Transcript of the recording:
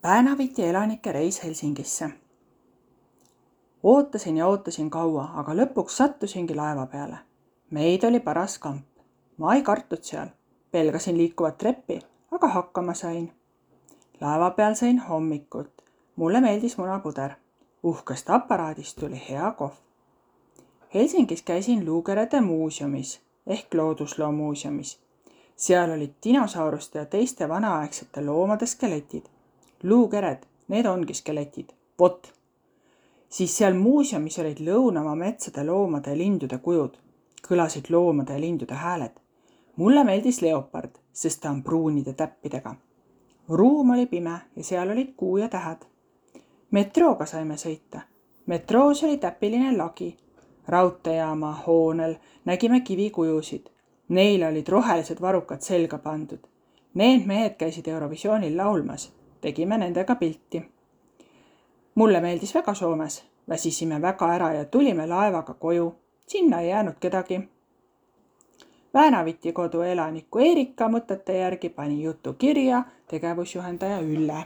Päänaviti elanike reis Helsingisse. Ootasin ja ootasin kaua, aga lõpuks sattusingi laeva peale. Meid oli paras kamp. Ma ei kartud seal. Pelgasin liikuvat treppi, aga hakkama sain. Laeva peal sain hommikult. Mulle meeldis munapuder. Uhkest aparaadist tuli hea kohv. Helsingis käisin luukerede muuseumis ehk loodusloomuuseumis. Seal olid dinosauruste ja teiste vanaaegsete loomade skeletid. Luukered, need ongi skeletid. Vot. Siis seal muuseumis olid lõunamaa metsade loomade ja lindude kujud. Kõlasid loomade ja lindude hääled. Mulle meeldis leopard, sest ta on pruunide täppidega. Ruum oli pime ja seal olid kuu ja tähed. Metrooga saime sõita. Metroos oli täpiline lagi. Raudteejaama hoonel nägime kivikujusid. Neile olid rohelised varrukad selga pandud. Need mehed käisid Eurovisioonil laulmas. Tegime nendega pilti. Mulle meeldis väga Soomes. Väsisime väga ära ja tulime laevaga koju. Sinna ei jäänud kedagi. Päänaviti kodu elaniku Eerika mõtete järgi pani jutu kirja tegevusjuhendaja Ülle.